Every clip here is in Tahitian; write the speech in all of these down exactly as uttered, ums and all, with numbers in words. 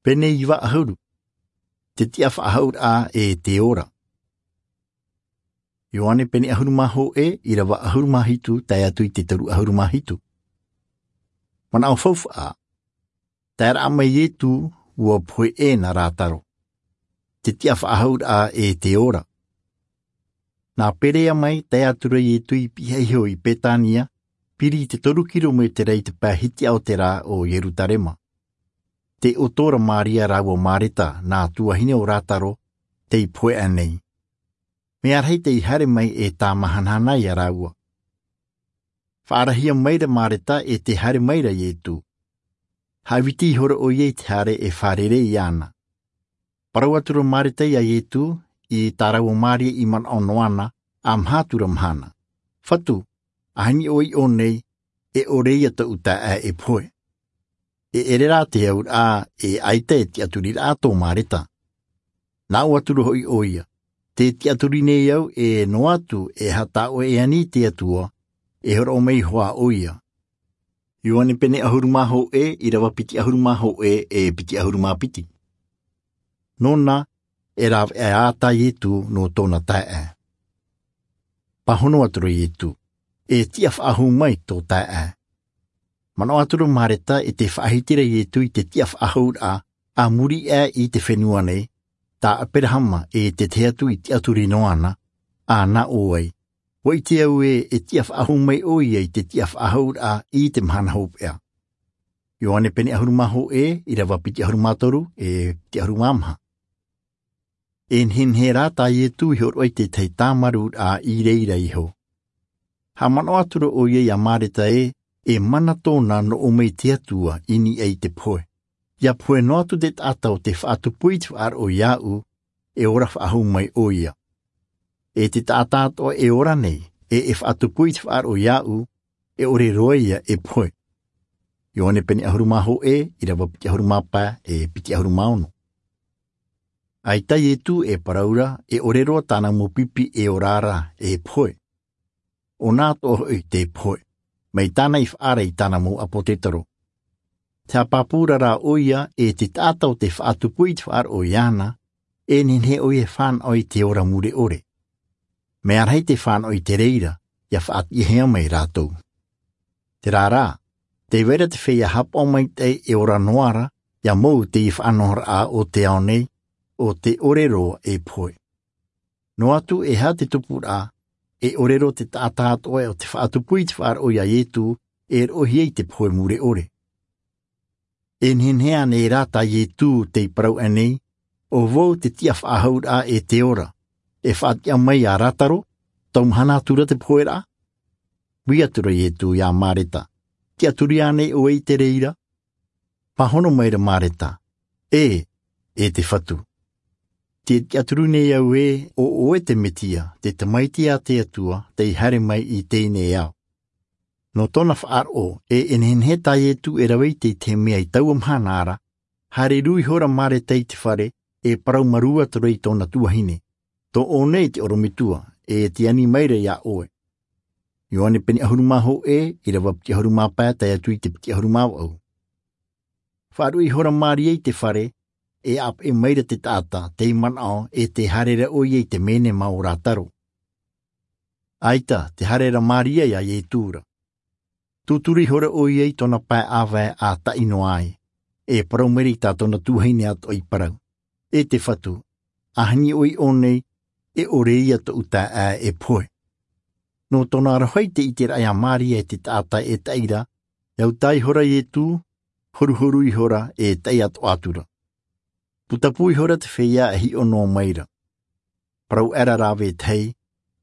Pene iva ʻahuru. Te tiʻa faʻahou raʻa e te ora. Ioane pene ʻahuru mā hōʻē, ʻirava ʻahuru mā hitu tae atu i te toru ʻahuru mā hitu. Manaʻo faufaʻa. Tae raʻa mai iesu, ua pohe ʻē na lāzaro. Te tiʻa faʻahou raʻa e te ora. Nā perea mai tae atu ra iesu i pihaʻi iho i betania, piri i te toru kilometera i te pae hitiʻa o te rā o ierusalema. Te ʻoto ra maria rāua mareta, nā tuahine o lāzaro, tei pohe aʻe nei. Mea rahi tei haere mai e tāmahanahana ia rāua. Faʻarahia mai ra mareta e te haere mai ra iesu. Haʻaviti ihora ʻoia i te haere e fārerei iāna. Parau atu ra mareta ia iesu, i tā rāua maria i manaʻo noa na, a maha atu ra mahana. Fatu, ʻaita ʻoe i ʻō nei, e ʻore ia tōʻu taeaʻe e pohe. E ʻere rā te auraʻa, e ʻaita e tiʻaturi raʻa tō mareta. Nā ʻō atu ra hoʻi ʻoia, te tiʻaturi nei au e noa atu e aha tā ʻoe e ani i te atua, e horoʻa mai hoʻi ʻoia. Ioane pene ʻahuru mā hōʻē, ʻirava piti ʻahuru mā hōʻē e piti ʻahuru mā piti. Nō na, e rāveʻa ā tā iesu nō tōna taeaʻe. Pāhono atu ra iesu, e tiʻa faʻahou mai tō taeaʻe. Manaʻo atu ra mareta e te faʻahiti ra iesu i te tiʻa faʻahou raʻa, a muri aʻe i te fenua nei, tā aberahama e te tahi atu i tiʻaturi noa na, a nā ʻō ai, ua ʻite au ē e tiʻa faʻahou mai ʻoia i te tiʻa faʻahou raʻa i te mahana hopeʻa. Ioane pene ʻahuru mā hōʻē, ʻirava piti ʻahuru mā toru e piti ʻahuru mā maha. E nehenehe rā tā iesu i horoʻa i te tahi tāmarū raʻa i reira iho. Haʻamanaʻo atu ra ʻoia ia mareta ē, e mana tōna nō ʻō mai te atua i niʻa i te pohe. Ia pohe noa atu te taʻata o te faʻatupu i te faʻaroʻo iāʻu, e ora faʻahou mai ʻoia. E te taʻata atoʻa e ora nei, e e faʻatupu i te faʻaroʻo iāʻu, e ʻore roa ia e pohe. Ioane pene ʻahuru mā hōʻē, ʻirava piti ʻahuru mā pae e piti ʻahuru mā ono. ʻAita iesu e parau ra, e ʻore roa tāna mau pipi e ora ra e pohe. ʻO na atoʻa hoʻi te pohe. Mai tāna i faʻaara i tāna mau ʻāpōsetolo. Te haʻapāpū ra ʻoia e te taʻata o te faʻatupu i te faʻaroʻo iāna, e nehenehe ʻoia e fānaʻo i te ora mure ʻore. Mea rahi te fānaʻo i te reira, ia faʻatiʻahia mai rātou. Terā rā, tē vai ra te feiā haʻapaʻo maitaʻi e ora noa ra, ia mau te faʻanahoraʻa o te ao nei, ʻo te ʻore roa e pohe. Noa atu e aha te tupuraʻa, e ʻore roa te taʻata atoʻa o te faʻatupu i te faʻaroʻo iā iesu, e roʻohia i te pohe mure ʻore. E nehenehe ānei rā tā iesu tei parau aʻe nei, ʻo vau te tiʻa faʻahou raʻa e te ora, e faʻatiʻa mai iā lāzaro, tau mahana atu ra te poheraʻa? Ui atu ra iesu iā mareta, tiʻaturi ānei ʻoe i te reira? Pāhono mai ra mareta, e, e te fatu. Te tiʻaturi nei au ē, ʻo ʻoe te mesia, te tamaiti a te atua, tei haere mai i teie nei ao. Nō tōna faʻaroʻo, e e nehenehe tā iesu e rave i te tahi mea i taua mahana ra, haere rū ihora mareta i te fare, e parau marū atu ra i tōna tuahine, tō ʻoe nei te ʻorometua, e te ani mai ra iā ʻoe. Ioane pene ʻahuru mā hōʻē, ʻirava piti ʻahuru mā pae tae atu i te piti ʻahuru mā vaʻu. Faʻaruʻe ihora maria i te fare, e ʻāpeʻe mai ra te taʻata tei manaʻo e te haere ra ʻoia i te menema o lāzaro. ʻAita te haere ra maria iā iesu ra. Tūturu ihora ʻoia i tōna pae ʻāvae a taʻi noa ai, e parau mai ra i tā tōna tuahine atoʻa i parau, e te fatu, ʻaita ʻoe i ʻō nei, e ʻore ia tōʻu taeaʻe e pohe. Nō tōna aroha i te ʻiteraʻa iā maria e te taʻata e taʻi ra, e au tā ihora iesu, horuhoru ihora e taʻi atoʻa atu ra. Putapū ihora te feiā e hiʻo noa mai ra. Parau aʻera rā vetahi,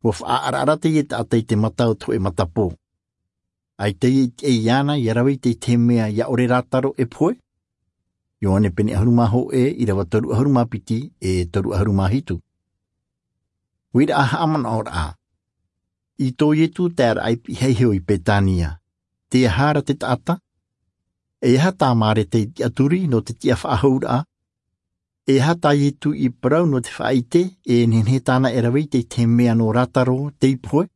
ua faʻaʻaraʻara teie taʻata i te mata o te hōʻē matapō. ʻAita ia i te ʻai iāna ia rave i te tahi mea ia ʻore lāzaro e pohe? Ioane pene ʻahuru mā hōʻē, ʻirava toru ʻahuru mā piti e toru ʻahuru mā hitu. Uiraʻa haʻamanaʻoraʻa. I tō iesu taeraʻa i pihaʻi iho i betania, te aha ra te taʻata? E aha tā mareta i tiʻaturi nō te tiʻa faʻahou raʻa? E aha tā iesu i parau nō te faʻaʻite, e nehenehe tāna e rave i te tahi mea nō lāzaro tei pohe?